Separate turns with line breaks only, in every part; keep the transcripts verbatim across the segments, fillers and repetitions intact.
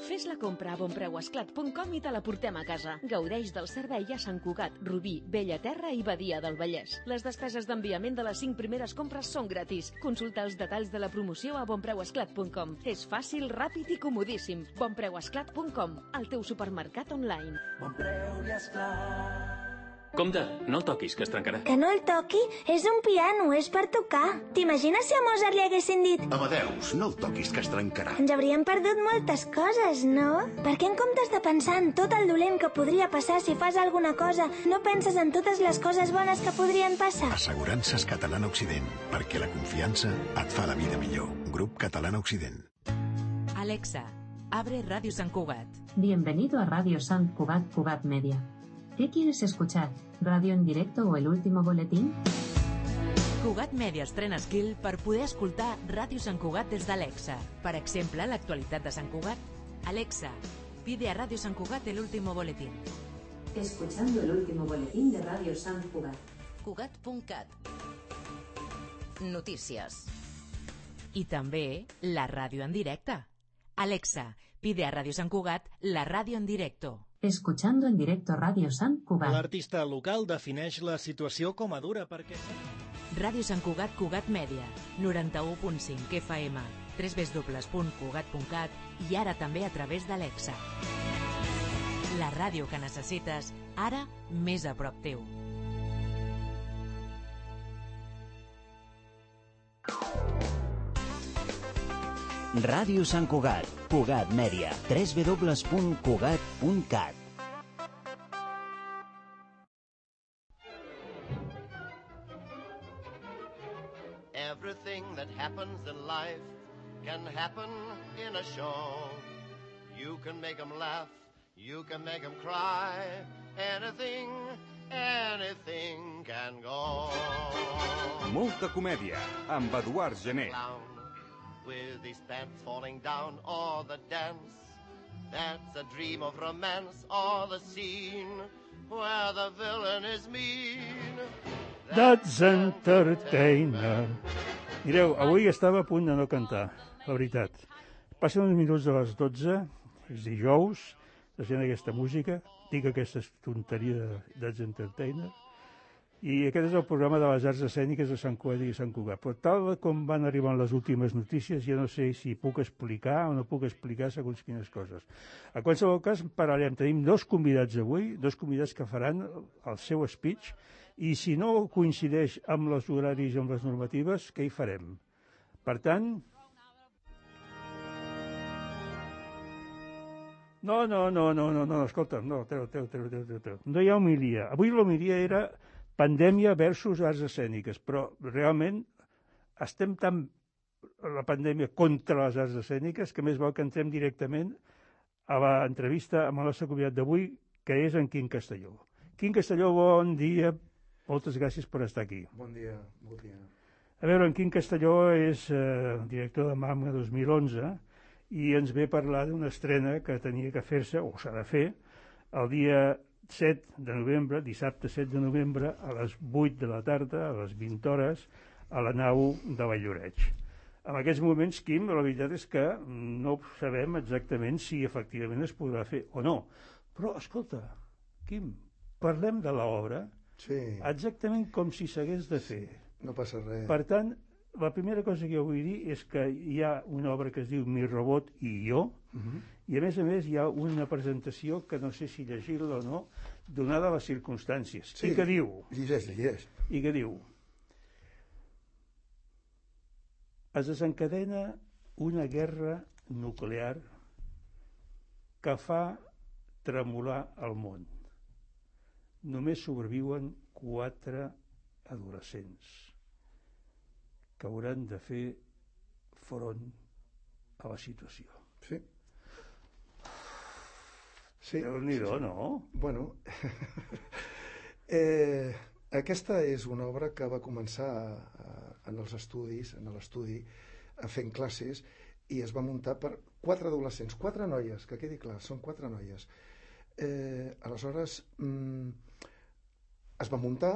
Fes la compra a bonpreuesclat punt com i te la portem a casa. Gaudeix del servei a Sant Cugat, Rubí, Bellaterra i Badia del Vallès. Les despeses d'enviament de les cinc primeres compres són gratis. Consulta els detalls de la promoció a bonpreuesclat punt com. És fàcil, ràpid i comodíssim. bonpreuesclat punt com, el teu supermercat online.
Bon preu i esclat.
Compte, no el toquis, que es trencarà.
Que no el toqui? És un piano, és per tocar. T'imagines si a Mozart li haguessin dit
Amadeus, no el toquis, que es trencarà.
ens hauríem perdut moltes coses, no? Perquè en comptes de pensar en tot el dolent que podria passar si fas alguna cosa, no penses en totes les coses bones que podrien passar?
Assegurances Catalana Occident, perquè la confiança et fa la vida millor. Grup Catalana Occident.
Alexa, abre Radio Sant Cugat.
Bienvenido a Radio Sant Cugat Cugat Media. ¿Qué quieres escuchar? ¿Radio en directo o el último boletín?
Cugat Media estrena skill per poder escoltar Ràdio Sant Cugat des d'Alexa. Per exemple, l'actualitat de Sant Cugat. Alexa, pide a Radio Sant Cugat el último boletín.
Escuchando el último boletín de Radio Sant Cugat.
Cugat punt cat. Notícies.
I també la ràdio en directe. Alexa, pide a Radio Sant Cugat la ràdio en directo.
Escuchando en directo Radio Sant Cugat.
L'artista local defineix la situació com a dura perquè...
Ràdio Sant Cugat Cugat Mèdia, noranta-u punt cinc F M, w w w punt cugat punt cat i ara també a través d'Alexa. La ràdio que necessites, ara més a prop teu.
Ràdio Sant Cugat, Cugat Mèdia, w w w punt cugat punt cat.
Everything that happens in life can happen in a show. You can make them laugh, you can make them cry. Anything, anything can go.
Molta comèdia, amb Eduard Gené.
With his pants falling down, or the dance that's a dream of romance, or the scene where the villain is mean.
That's Entertainer. Mireu, avui estava a punt de no cantar, la veritat. Passen uns minuts de les dotze, és dijous, sent aquesta música, dic aquesta tonteria de That's Entertainer, i aquest és el programa de les arts escèniques de Sant Cugat i Sant Cugat. Però tal com van arribant les últimes notícies, ja no sé si puc explicar o no puc explicar segons quines coses. A qualsevol cas, parlarem. Tenim dos convidats avui, dos convidats que faran el seu speech, i si no coincideix amb els horaris i amb les normatives, què hi farem? Per tant... No, no, no, no, no, no, escolta, no, treu, treu, treu, treu, treu. No hi ha homilia. Avui l'homilia era pandèmia versus arts escèniques, però realment estem tan la pandèmia contra les arts escèniques que més val que entrem directament a l'entrevista amb el nostre convidat d'avui, que és en Quim Castelló. Quim Castelló, bon dia, moltes gràcies per estar aquí.
Bon dia, bon dia.
A veure, en Quim Castelló és eh, director de MAMA dos mil onze i ens ve a parlar d'una estrena que tenia que fer-se, o s'ha de fer, el dia set de novembre, dissabte set de novembre, a les vuit de la tarda, a les vint hores, a la nau de Valldoreix. En aquests moments, Quim, la veritat és que no sabem exactament si efectivament es podrà fer o no. Però, escolta, Quim, parlem de l'obra
sí.
exactament com si s'hagués de fer.
No passa res.
Per tant, la primera cosa que jo vull dir és que hi ha una obra que es diu Mi robot i jo, uh-huh. i a més a més hi ha una presentació que no sé si llegir-la o no, donada les circumstàncies.
Sí,
I que diu...
Llegeix, llegeix.
I que diu... Es desencadena una guerra nuclear que fa tremolar el món. Només sobreviuen quatre adolescents que hauran de fer front a la situació.
Sí. Sí.
Déu-n'hi-do, no?
Bueno, eh, aquesta és una obra que va començar a, en els estudis, en l'estudi, fent classes, i es va muntar per quatre adolescents, quatre noies, que quedi clar, són quatre noies. Eh, aleshores, mm, es va muntar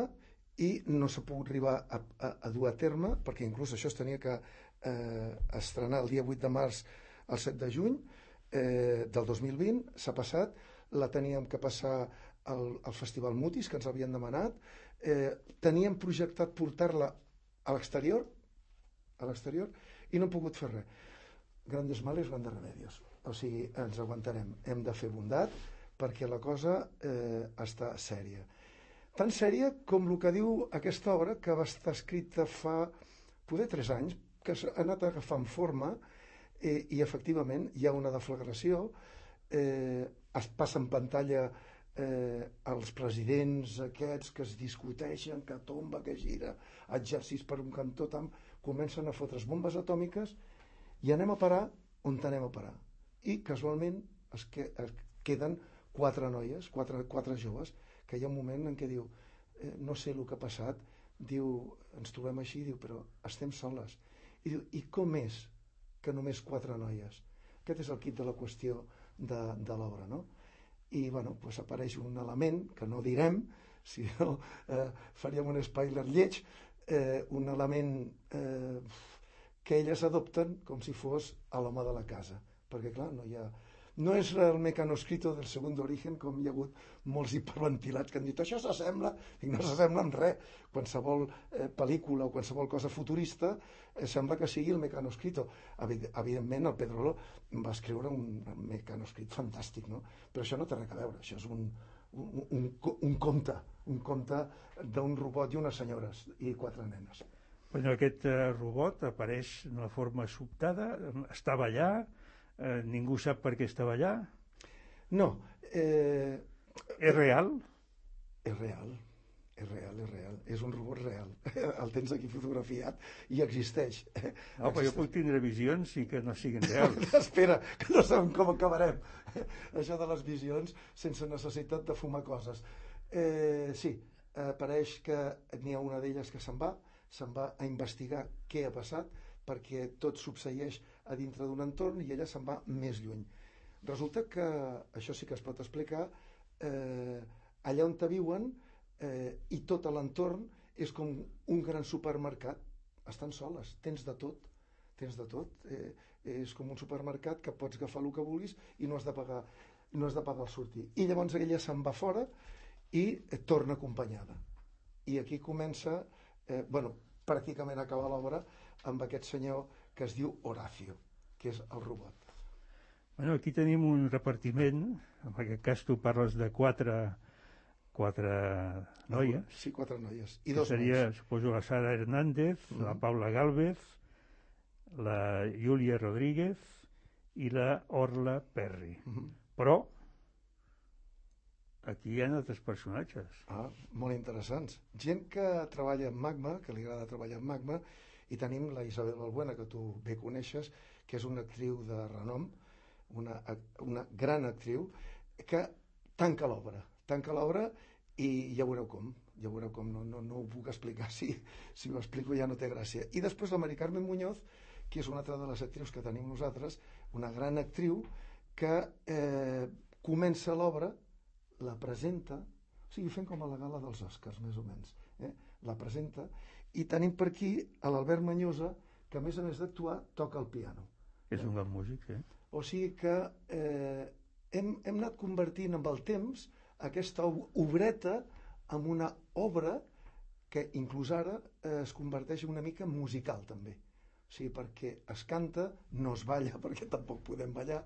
i no s'ha pogut arribar a, a, a dur a terme, perquè inclús això es tenia que eh, estrenar el dia vuit de març al set de juny, eh, del dos mil vint, s'ha passat, la teníem que passar al, al Festival Mutis, que ens havien demanat, eh, teníem projectat portar-la a l'exterior, a l'exterior, i no hem pogut fer res. Grandes males, grandes remedios. O sigui, ens aguantarem. Hem de fer bondat perquè la cosa eh, està sèria. Tan sèria com el que diu aquesta obra, que va estar escrita fa, poder, tres anys, que ha anat agafant forma, eh, i efectivament hi ha una deflagració, eh, es passa en pantalla eh, els presidents aquests que es discuteixen, que tomba, que gira, exèrcits per un cantó, tam, comencen a fotre's bombes atòmiques i anem a parar on anem a parar. I casualment es, que, es queden quatre noies, quatre, quatre joves, que hi ha un moment en què diu, eh, no sé el que ha passat, diu, ens trobem així, diu, però estem soles. I diu, i com és que només quatre noies? Aquest és el quid de la qüestió de, de l'obra, no? I, bueno, pues apareix un element que no direm, si no eh, faríem un spoiler lleig, eh, un element eh, que elles adopten com si fos a l'home de la casa, perquè, clar, no hi ha... No és el mecanoscrito del Segundo Origen, com hi ha hagut molts hiperventilats que han dit això s'assembla, i no s'assembla en res. Qualsevol eh, pel·lícula o qualsevol cosa futurista eh, sembla que sigui el mecanoscrito. Evidentment, el Pedrolo va escriure un mecanoscrit fantàstic, no? Però això no té res a veure, això és un, un, un, un conte, un conte d'un robot i unes senyores i quatre nenes.
Bueno, aquest eh, robot apareix d'una forma sobtada, estava allà, Eh, ningú sap per què estava allà?
No. Eh,
és real?
És real, és real, és real. És un robot real. El tens aquí fotografiat i existeix.
No, però jo puc tindre visions i que no siguin reals.
Espera, que no sabem com acabarem. Això de les visions sense necessitat de fumar coses. Eh, sí, apareix que n'hi ha una d'elles que se'n va, se'n va a investigar què ha passat, perquè tot succeeix a dintre d'un entorn i ella se'n va més lluny. Resulta que, això sí que es pot explicar, eh, allà on te viuen eh, i tot l'entorn és com un gran supermercat. Estan soles, tens de tot, tens de tot. Eh, és com un supermercat que pots agafar el que vulguis i no has de pagar, no has de pagar el sortir. I llavors ella se'n va fora i eh, torna acompanyada. I aquí comença, eh, bueno, pràcticament acaba l'obra amb aquest senyor que es diu Horacio, que és el robot.
Bueno, aquí tenim un repartiment, en aquest cas tu parles de quatre, quatre noies.
Sí, quatre noies. I
que
dos
seria,
nois.
suposo, la Sara Hernández, mm-hmm. la Paula Gálvez, la Júlia Rodríguez i la Orla Perry.
Mm-hmm.
Però aquí hi ha altres personatges.
Ah, molt interessants. Gent que treballa en Magma, que li agrada treballar en Magma, i tenim la Isabel Balbuena, que tu bé coneixes, que és una actriu de renom, una, una gran actriu, que tanca l'obra. Tanca l'obra i ja veureu com. Ja veureu com, no, no, no ho puc explicar. Si, si ho explico ja no té gràcia. I després la Mari Carmen Muñoz, que és una altra de les actrius que tenim nosaltres, una gran actriu que eh, comença l'obra, la presenta, o sigui, fent com a la gala dels Oscars, més o menys. Eh? La presenta, i tenim per aquí a l'Albert Manyosa, que a més a més d'actuar toca el piano.
És un gran músic, eh?
O sigui que eh, hem, hem anat convertint amb el temps aquesta obreta en una obra que inclús ara eh, es converteix una mica en musical també. O sigui, perquè es canta, no es balla, perquè tampoc podem ballar,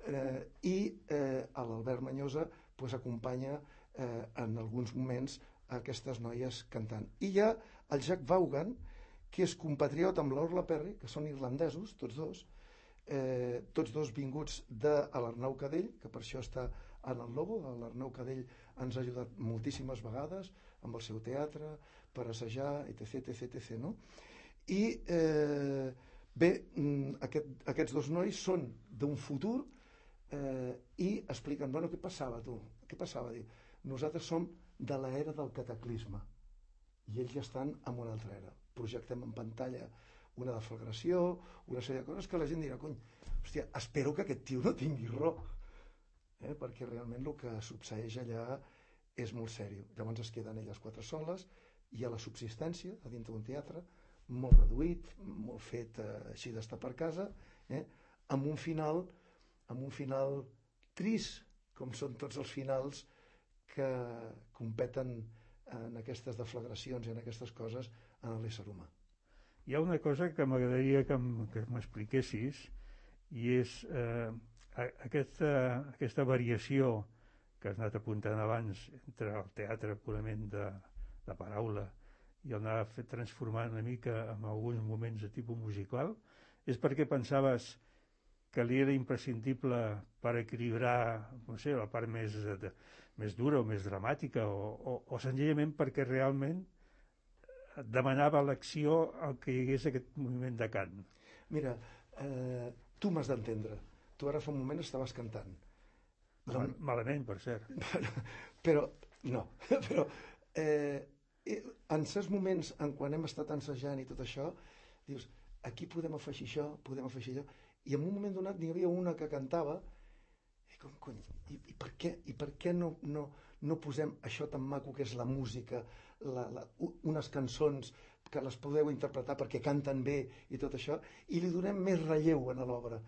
eh, i eh, l'Albert Manyosa pues, acompanya eh, en alguns moments aquestes noies cantant. I hi ha el Jack Vaughan, que és compatriota amb l'Orla Perry, que són irlandesos, tots dos, eh, tots dos vinguts de l'Arnau Cadell, que per això està en el Lobo. L'Arnau Cadell ens ha ajudat moltíssimes vegades amb el seu teatre, per assajar, etc, etc, etc, no? I eh, bé, aquest, aquests dos nois són d'un futur eh, i expliquen, bueno, què passava tu? Què passava? Diu, nosaltres som de l'era del cataclisme i ells ja estan en una altra era. Projectem en pantalla una deflagració, una sèrie de coses que la gent dirà, cony, hòstia, espero que aquest tio no tingui raó, eh? perquè realment el que succeeix allà és molt sèrio. Llavors es queden elles quatre soles, hi ha la subsistència a dintre d'un teatre, molt reduït, molt fet eh, així d'estar per casa, eh? amb un final amb un final trist, com són tots els finals que competen en aquestes deflagracions i en aquestes coses en l'ésser humà.
Hi ha una cosa que m'agradaria que m'expliquessis, i és eh, aquesta, aquesta variació que has anat apuntant abans entre el teatre purament de, de paraula i el anar transformant una mica en alguns moments de tipus musical, és perquè pensaves que li era imprescindible per equilibrar, no sé, la part més, de, més dura o més dramàtica, o, o, o senzillament perquè realment demanava l'acció el que hi hagués aquest moviment de cant?
Mira, eh, tu m'has d'entendre. Tu ara fa un moment estaves cantant.
Mal, malament, per cert.
Però, no, però eh, en certs moments, en quan hem estat ensajant i tot això, dius, aquí podem afegir això, podem afegir allò, i en un moment donat n'hi havia una que cantava, i com, cony, i, i per què, i per què no, no, no posem això tan maco que és la música, la, la, unes cançons que les podeu interpretar perquè canten bé i tot això, i li donem més relleu a l'obra.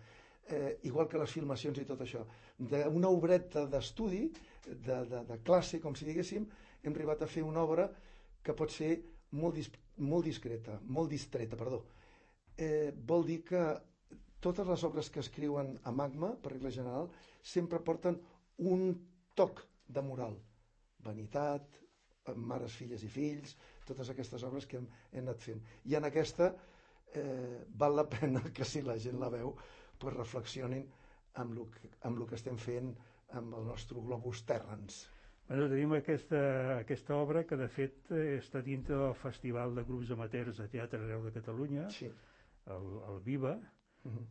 Eh, igual que les filmacions i tot això. D'una obreta d'estudi, de, de, de classe, com si diguéssim, hem arribat a fer una obra que pot ser molt, dis, molt discreta, molt distreta, perdó. Eh, vol dir que totes les obres que escriuen a Magma, per regla general, sempre porten un toc de moral. Vanitat, mares, filles i fills, totes aquestes obres que hem, hem anat fent. I en aquesta eh, val la pena que si la gent la veu, pues reflexionin amb el que, amb el que estem fent amb el nostre globus terrans.
Bueno, tenim aquesta, aquesta obra que de fet està dintre del Festival de Grups Amateurs de Teatre Arreu de Catalunya, sí. el, el Viva, uh-huh.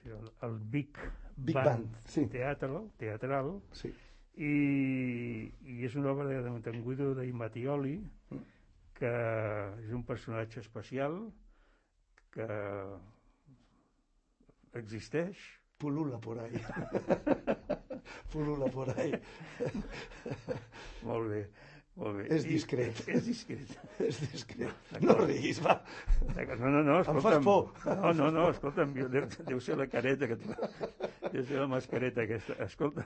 el, el Big,
Big
Band,
Band sí.
teatral, teatral
sí.
i, i és una obra d'en Guido de Mattioli, uh-huh. que és un personatge especial que existeix,
pulula por ahí pulula por ahí
molt bé, molt bé.
És discret.
I, és discret.
És discret. No riguis, va.
No, no, no, escolta'm.
Em fas por.
No, no, no, escolta'm, deu, deu ser la careta que tu... Deu ser la mascareta aquesta. Escolta,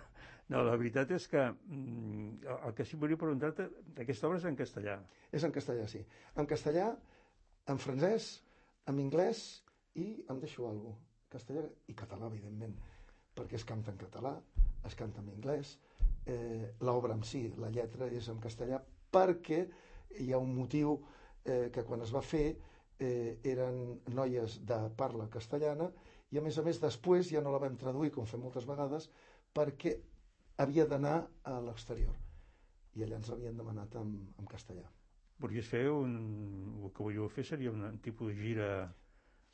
no, la veritat és que mm, el que sí volia preguntar-te, aquesta obra és en castellà.
És en castellà, sí. En castellà, en francès, en anglès i em deixo alguna cosa. Castellà i català, evidentment, perquè es canta en català, es canta en anglès, eh, l'obra en si, la lletra és en castellà, perquè hi ha un motiu eh, que quan es va fer eh, eren noies de parla castellana i a més a més després ja no la vam traduir, com fem moltes vegades, perquè havia d'anar a l'exterior i allà ens l'havien demanat en, en castellà.
Podries fer un... el que volíeu fer seria un tipus de gira...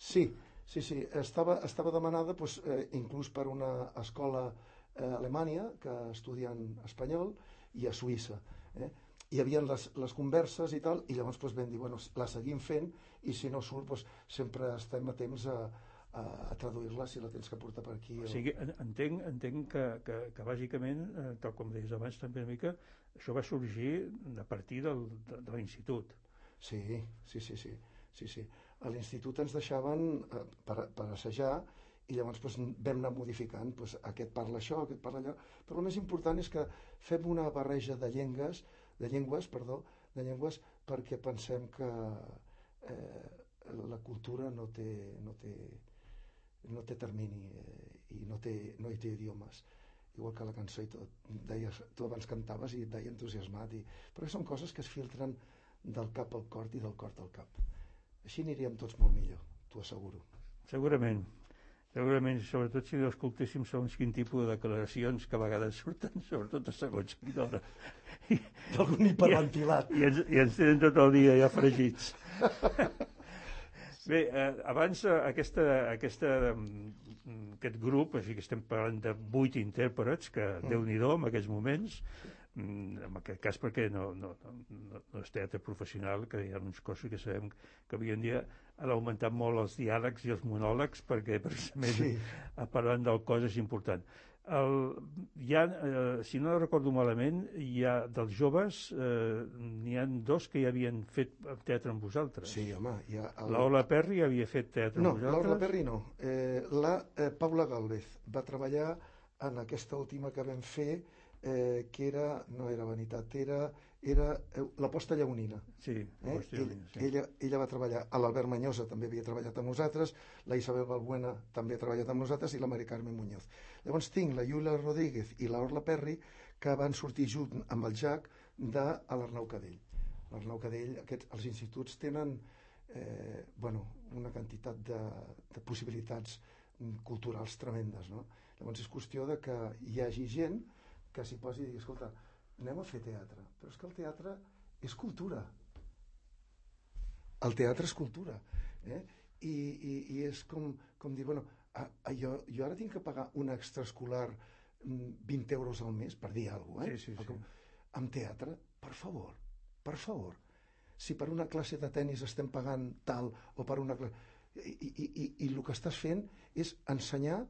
Sí, sí, sí, estava, estava demanada doncs, eh, inclús per una escola eh, a Alemanya que estudien espanyol i a Suïssa. Eh? Hi havia les, les converses i tal, i llavors doncs, vam dir, bueno, la seguim fent i si no surt, doncs, sempre estem a temps a, a, a traduir-la si la tens que portar per aquí. O...
O sigui, entenc, entenc que, que, que bàsicament, eh, tal com deies abans també una mica, això va sorgir a partir del, de, de l'institut.
Sí, sí, sí, sí. Sí, sí. A l'institut ens deixaven eh, per, per assajar i llavors doncs, vam anar modificant, doncs, aquest parla això, aquest parla allò, però el més important és que fem una barreja de llengües, de llengües, perdó, de llengües perquè pensem que eh, la cultura no té, no té, no té termini eh, i no, té, no hi té idiomes. Igual que la cançó i tot. Deies, tu abans cantaves i et deia entusiasmat, i... però són coses que es filtren del cap al cor i del cor al cap. Així aniríem tots molt millor, t'ho asseguro.
Segurament, segurament, sobretot si escoltéssim segons quin tipus de declaracions que a vegades surten, sobretot a segons quina hora.
D'algun hiperventilat.
I, i, ens, I ens tenen tot el dia ja fregits. Bé, eh, abans aquesta, aquesta, aquest grup, així que estem parlant de vuit intèrprets, que mm. Déu-n'hi-do en aquests moments, en aquest cas perquè no, no, no, no és teatre professional, que hi ha uns cossos que sabem que avui en dia han augmentat molt els diàlegs i els monòlegs perquè precisament sí. parlant del cos és important. El, hi ha, eh, si no recordo malament, hi ha dels joves, eh, n'hi ha dos que ja havien fet teatre amb vosaltres.
Sí, home. Hi ha el...
La Ola Perry havia fet teatre
no,
amb vosaltres?
No, l'Ola Perry no. Eh, la eh, Paula Gálvez va treballar en aquesta última que vam fer, eh, que era, no era Vanitat, era, era eh, l'Aposta Lleonina.
Sí, l'Aposta
eh?
Lleonina, sí.
Ella, ella va treballar, a l'Albert Manyosa també havia treballat amb nosaltres, la Isabel Balbuena també ha treballat amb nosaltres i la Mari Carmen Muñoz. Llavors tinc la Iula Rodríguez i l'Orla Perry que van sortir junt amb el Jack de l'Arnau Cadell. L'Arnau Cadell, aquests, els instituts tenen eh, bueno, una quantitat de, de possibilitats culturals tremendes, no? Llavors és qüestió de que hi hagi gent que s'hi posi i digui, escolta, anem a fer teatre, però és que el teatre és cultura. El teatre és cultura, eh? I, i, i és com, com dir, bueno, a, a, jo, jo ara tinc que pagar un extraescolar vint euros al mes, per dir alguna cosa, eh?
Sí, sí, sí.
Amb teatre, per favor, per favor. Si per una classe de tennis estem pagant tal, o per una classe... I, i, i, i el que estàs fent és ensenyar,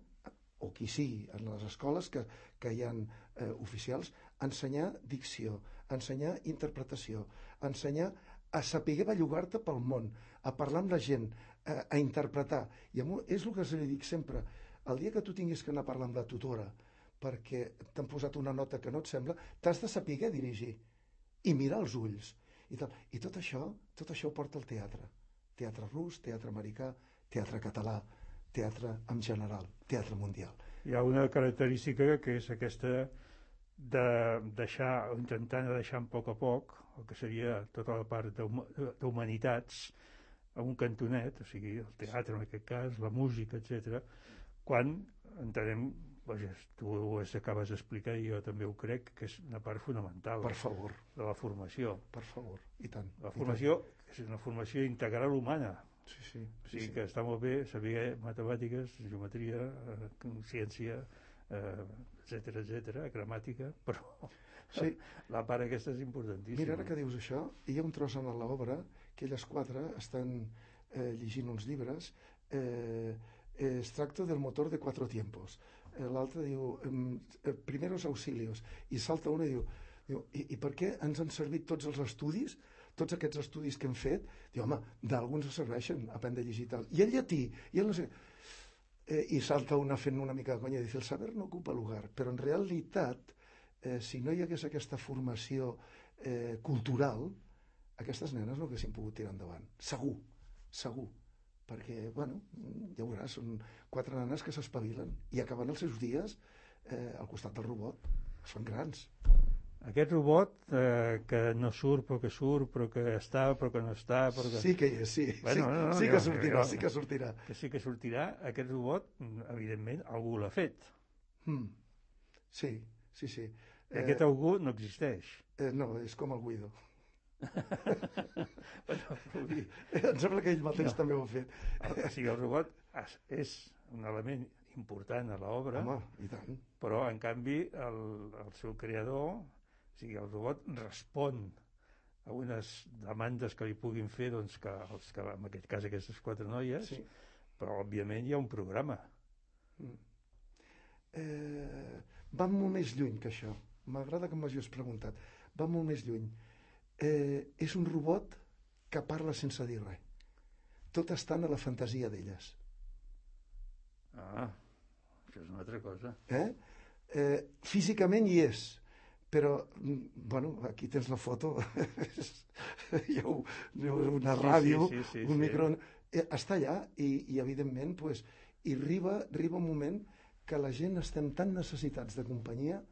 o qui sigui, en les escoles que, que hi ha eh, oficials, ensenyar dicció, ensenyar interpretació, ensenyar a saber bellugar-te pel món, a parlar amb la gent, a, a interpretar. I és el que se li dic sempre, el dia que tu tinguis que anar a parlar amb la tutora perquè t'han posat una nota que no et sembla, t'has de saber dirigir i mirar els ulls. I, tal. I tot això, tot això ho porta el teatre. Teatre rus, teatre americà, teatre català, teatre en general, teatre mundial.
Hi ha una característica que és aquesta de deixar, o intentar deixar a poc a poc, el que seria tota la part d'humanitats, a un cantonet, o sigui, el teatre en aquest cas, la música, etcètera, quan entenem, vaja, tu ho acabes d'explicar i jo també ho crec, que és una part fonamental.
Per favor.
De la formació.
Per favor, i tant.
La formació és una formació integral humana.
Sí, sí.
O sigui
sí,
que està molt bé saber matemàtiques, geometria, eh, ciència, eh, etcètera, etcètera, gramàtica, però sí. La part aquesta és importantíssima.
Mira, ara que dius això, hi ha un tros en l'obra que elles quatre estan eh, llegint uns llibres, eh, es tracta del motor de cuatro tiempos. Eh, L'altre diu, eh, primeros auxilios, i salta una i diu, diu i, i per què ens han servit tots els estudis, tots aquests estudis que hem fet? Diu, home, d'alguns serveixen, aprendre a llegir tal. I el llatí, i el no sé... Eh, i salta una fent una mica de conya i diu, el saber no ocupa lugar, però en realitat, eh, si no hi hagués aquesta formació eh, cultural, aquestes nenes no haguessin pogut tirar endavant. Segur, segur. Perquè, bueno, ja veuràs, són quatre nanes que s'espavilen i acaben els seus dies eh, al costat del robot. Es fan grans.
Aquest robot eh, que no surt però que surt, però que està però que no està... Però que...
Sí que hi és, sí.
Bueno,
sí,
no, no,
sí
jo,
que sortirà,
jo,
sí que sortirà.
Que sí que sortirà. Aquest robot, evidentment, algú l'ha fet.
Mm. Sí, sí, sí.
I eh, aquest algú no existeix.
Eh, no, és com el Guido.
Bueno, dir...
Em sembla que ell mateix
no.
també ho ha fet.
O sigui, el robot és un element important a l'obra,
home, i tant.
Però, en canvi, el, el seu creador, o sigui, el robot respon a unes demandes que li puguin fer, doncs, que, els, que en aquest cas aquestes quatre noies, sí. Però, òbviament, hi ha un programa.
Mm. Eh, va molt més lluny que això. M'agrada que m'hagis preguntat. Va molt més lluny. Eh, és un robot que parla sense dir res. Tot estant a la fantasia d'elles.
Ah, això és una altra cosa.
Eh? Eh, físicament hi és, però, bueno, aquí tens la foto, hi ha una ràdio,
sí, sí, sí,
un
sí.
micro... Eh, està allà i, i evidentment, pues, i arriba, arriba un moment que la gent estem tan necessitats de companyia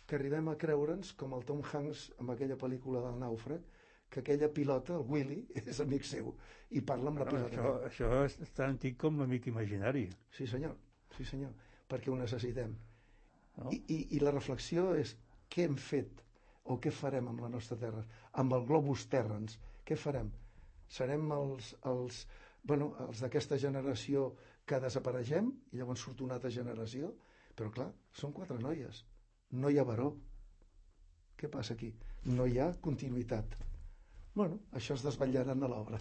que arribem a creure'ns, com el Tom Hanks amb aquella pel·lícula del nàufrag, que aquella pilota, el Willy, és amic seu i parla amb la
no,
pilota.
Això, això és tan antic com l'amic imaginari.
Sí senyor, sí senyor, perquè ho necessitem.
No?
I, i, I la reflexió és què hem fet o què farem amb la nostra terra, amb el globus terrans, què farem? Serem els, els, bueno, els d'aquesta generació que desapareixem i llavors surt una altra generació? Però clar, són quatre noies, no hi ha baró. Què passa aquí? No hi ha continuïtat. Bueno, això es desvetllarà a l'obra.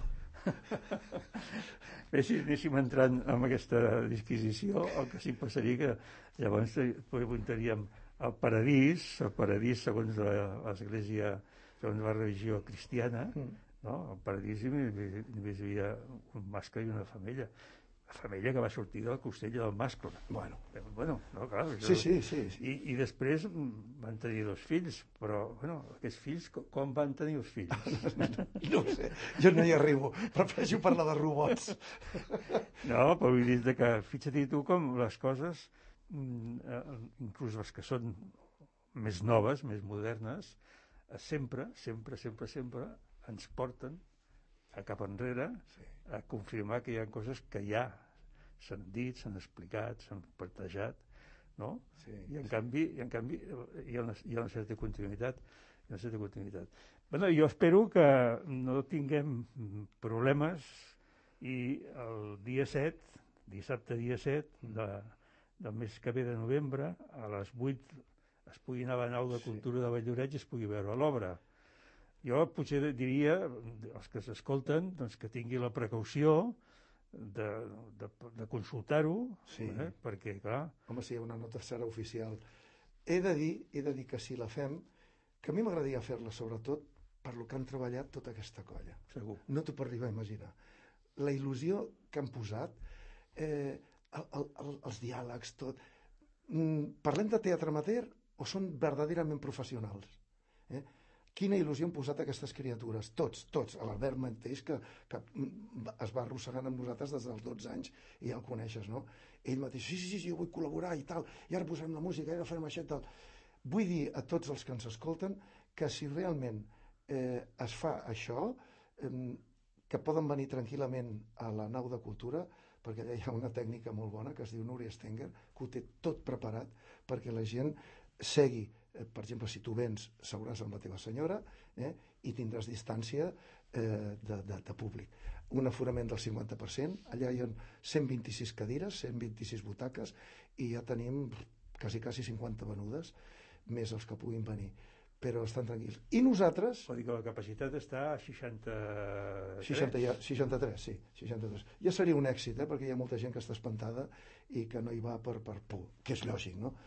Bé, si anéssim entrant en aquesta disquisició, el que sí passaria que llavors preguntaríem el paradís, el paradís segons l'església, segons la religió cristiana, no? El paradís només hi havia un mascle i una femella. La femella que va sortir del costell del mascle.
Bueno,
bueno no, clar. Això...
Sí, sí, sí. sí.
I, I després van tenir dos fills, però, bueno, aquests fills, com van tenir els fills?
No ho sé, jo no hi arribo. Prefereixo parlar de robots.
No, però vull dir que, fixa't tu com les coses, inclús les que són més noves, més modernes, sempre, sempre, sempre, sempre ens porten a cap enrere sí. a confirmar que hi ha coses que ja s'han dit, s'han explicat, s'han plantejat, no? Sí, I, en sí. canvi, I en canvi hi ha una, hi ha una certa continuïtat. Hi ha una certa continuïtat. Bueno, jo espero que no tinguem problemes i el dia set, dissabte dia set de, del mes que ve de novembre, a les vuit es pugui anar a la nau de cultura sí. de Valldoreix i es pugui veure l'obra. Jo potser diria, els que s'escolten, doncs que tingui la precaució de, de, de consultar-ho,
sí.
eh? perquè, clar...
Home, si hi ha una nota serà oficial. He de dir, he de dir que si la fem, que a mi m'agradaria fer-la sobretot per lo que han treballat tota aquesta colla.
Segur.
No t'ho puc arribar a imaginar. La il·lusió que han posat, eh, el, el, els diàlegs, tot... Mm, parlem de teatre amateur o són verdaderament professionals? Eh? Quina il·lusió han posat aquestes criatures, tots, tots, l'Albert mateix, que, que es va arrossegant amb nosaltres des dels dotze anys, i ja el coneixes, no? Ell mateix, sí, sí, sí, jo vull col·laborar i tal, i ara posarem la música, i ara farem això i tal. Vull dir a tots els que ens escolten que si realment eh, es fa això, eh, que poden venir tranquil·lament a la nau de cultura, perquè allà hi ha una tècnica molt bona que es diu Núria Stenger, que ho té tot preparat perquè la gent segui. Per exemple, si tu vens, seuràs amb la teva senyora eh, i tindràs distància eh, de, de, de públic. Un aforament del cinquanta per cent, allà hi ha cent vint-i-sis cadires, cent vint-i-sis butaques, i ja tenim quasi, quasi cinquanta venudes, més els que puguin venir. Però estan tranquils. I nosaltres...
Vol dir que la capacitat està a seixanta-tres?
seixanta, ja, seixanta-tres, sí. seixanta-tres. Ja seria un èxit, eh, perquè hi ha molta gent que està espantada i que no hi va per, per por, que és lògic, no?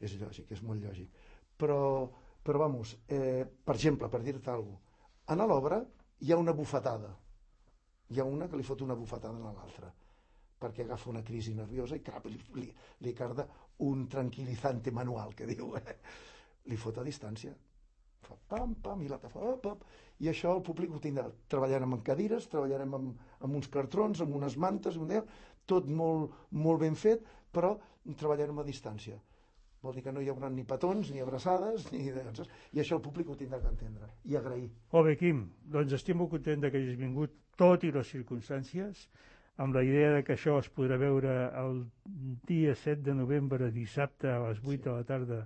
És lògic, és molt lògic. Però, però vamos, eh, per exemple, per dir-te alguna cosa, en l'obra hi ha una bufetada. Hi ha una que li fot una bufetada a l'altra, perquè agafa una crisi nerviosa i cap, li, li, li carda un tranquil·litzante manual, que diu, eh? Li fot a distància. Fa pam, pam, i l'altre fa pam, pam. I això el públic ho tindrà. Treballarem amb cadires, treballarem amb, amb uns cartrons, amb unes mantes, tot molt, molt ben fet, però treballarem a distància. Vol dir que no hi haurà ni petons, ni abraçades, ni... i això el públic ho tindrà que entendre i agrair.
Molt bé, Quim, doncs estic molt content que hagis vingut, tot i les circumstàncies, amb la idea de que això es podrà veure el dia set de novembre, dissabte, a les vuit sí. de la tarda,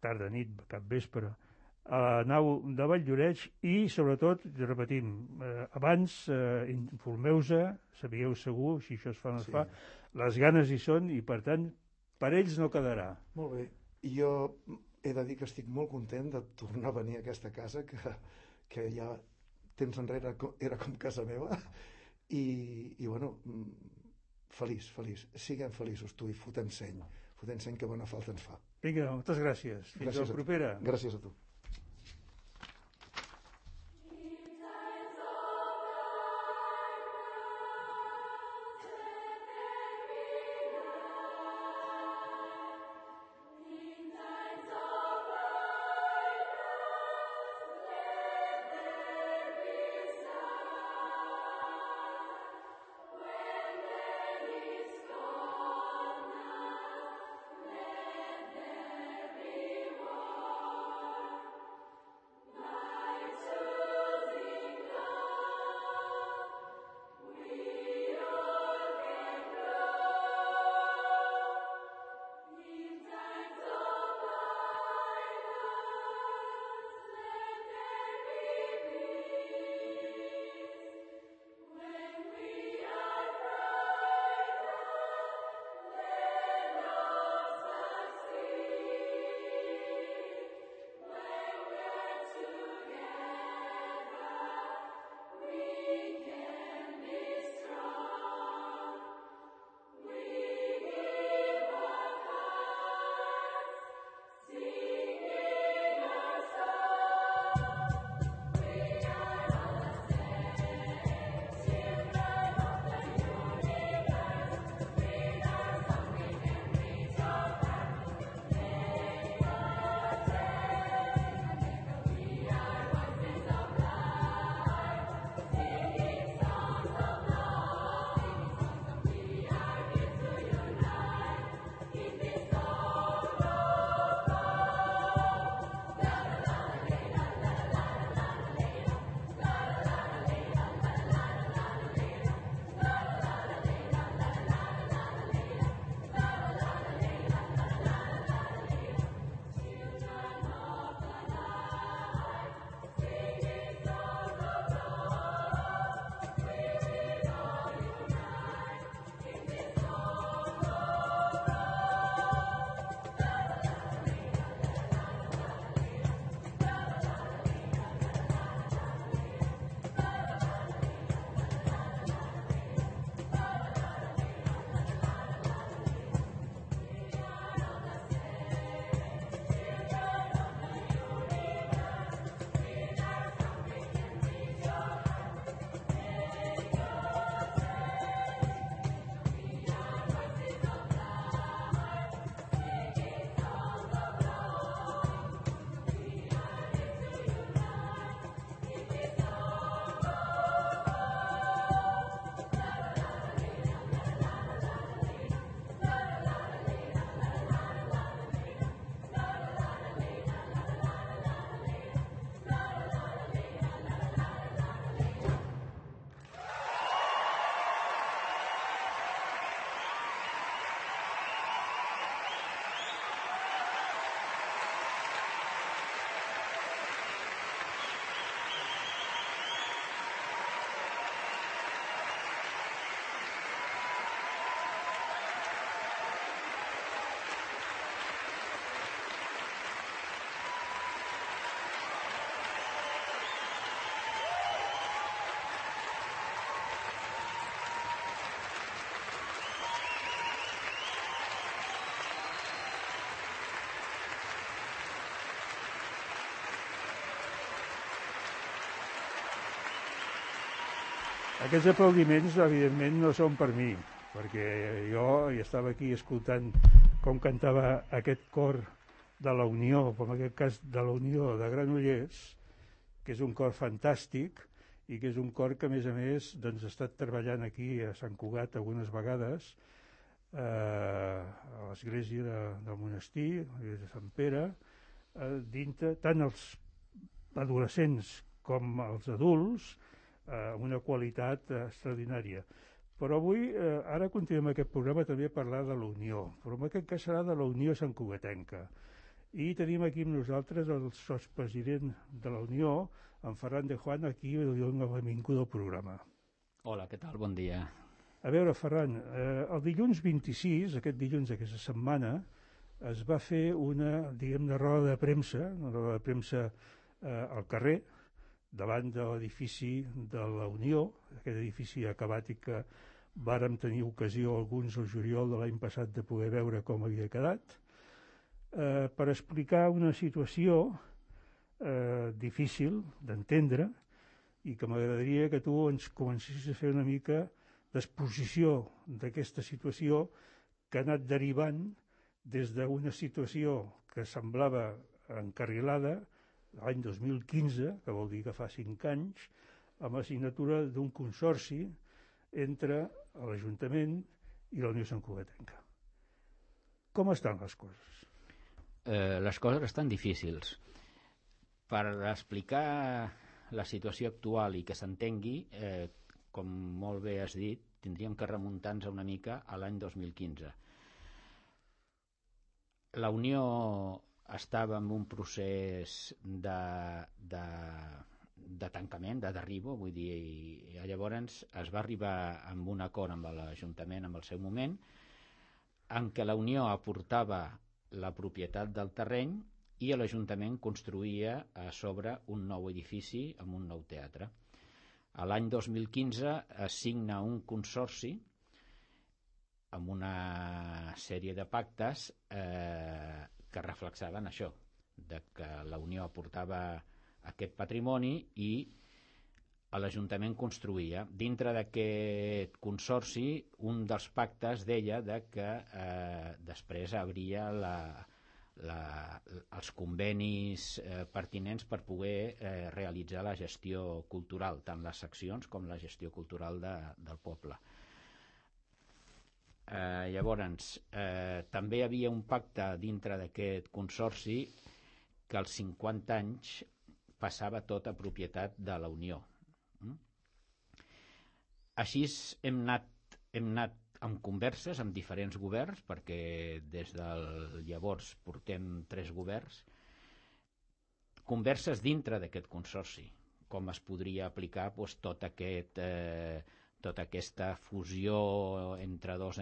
tarda, nit, cap vespre, a la nau de Valldoreix i, sobretot, repetim, eh, abans eh, informeu-se, sabíeu segur, si això es fa o no es sí. fa, les ganes hi són i, per tant, per ells no quedarà.
Molt bé. Jo he de dir que estic molt content de tornar a venir a aquesta casa, que, que ja temps enrere era com casa meva, i, i bueno, feliç, feliç. Siguem feliços, tu, i fotem seny. Fotem seny, que bona falta ens fa.
Vinga, moltes gràcies. Fins
gràcies
a la propera.
Gràcies a tu.
Aquests aplaudiments, evidentment, no són per mi, perquè jo hi estava aquí escoltant com cantava aquest cor de la Unió, com en aquest cas de la Unió de Granollers, que és un cor fantàstic i que és un cor que, a més a més, doncs, ha estat treballant aquí a Sant Cugat algunes vegades, eh, a l'església de, del monestir, a l'església de Sant Pere, eh, dintre, tant els adolescents com els adults, eh, amb una qualitat eh, extraordinària. Però avui, eh, ara continuem aquest programa també a parlar de la Unió, però en aquest cas serà de la Unió santcugatenca. I tenim aquí amb nosaltres el sotspresident de la Unió, en Ferran de Juan, aquí li dono la benvinguda al programa.
Hola, què tal? Bon dia.
A veure, Ferran, eh, el dilluns vint-i-sis, aquest dilluns d'aquesta setmana, es va fer una, diguem-ne, roda de premsa, una roda de premsa eh, al carrer, davant de l'edifici de la Unió, aquest edifici acabat i que vàrem tenir ocasió alguns al juliol de l'any passat de poder veure com havia quedat, eh, per explicar una situació eh, difícil d'entendre i que m'agradaria que tu ens comencessis a fer una mica d'exposició d'aquesta situació que ha anat derivant des d'una situació que semblava encarrilada l'any dos mil quinze, que vol dir que fa cinc anys, amb la signatura d'un consorci entre l'Ajuntament i la Unió santcugatenca. Com estan les coses?
Eh, les coses estan difícils. Per explicar la situació actual i que s'entengui, eh, com molt bé has dit, tindríem que remuntar-nos una mica a l'any dos mil quinze. La Unió estava en un procés de, de, de tancament, de derribo, vull dir, i llavors es va arribar amb un acord amb l'Ajuntament en el seu moment, en què la Unió aportava la propietat del terreny i l'Ajuntament construïa a sobre un nou edifici amb un nou teatre. A l'any dos mil quinze es signa un consorci amb una sèrie de pactes eh, que reflexaven això, de que la Unió aportava aquest patrimoni i l'Ajuntament construïa. Dintre d'aquest consorci, un dels pactes deia de que eh, després hauria la, la, els convenis eh, pertinents per poder eh, realitzar la gestió cultural, tant les seccions com la gestió cultural de, del poble. Eh, llavors, eh, també hi havia un pacte dintre d'aquest consorci que als cinquanta anys passava tot a propietat de la Unió. Mm? Així hem anat, hem anat amb converses amb diferents governs, perquè des del llavors portem tres governs, converses dintre d'aquest consorci, com es podria aplicar doncs, tot aquest... Eh, tota aquesta fusió entre dos,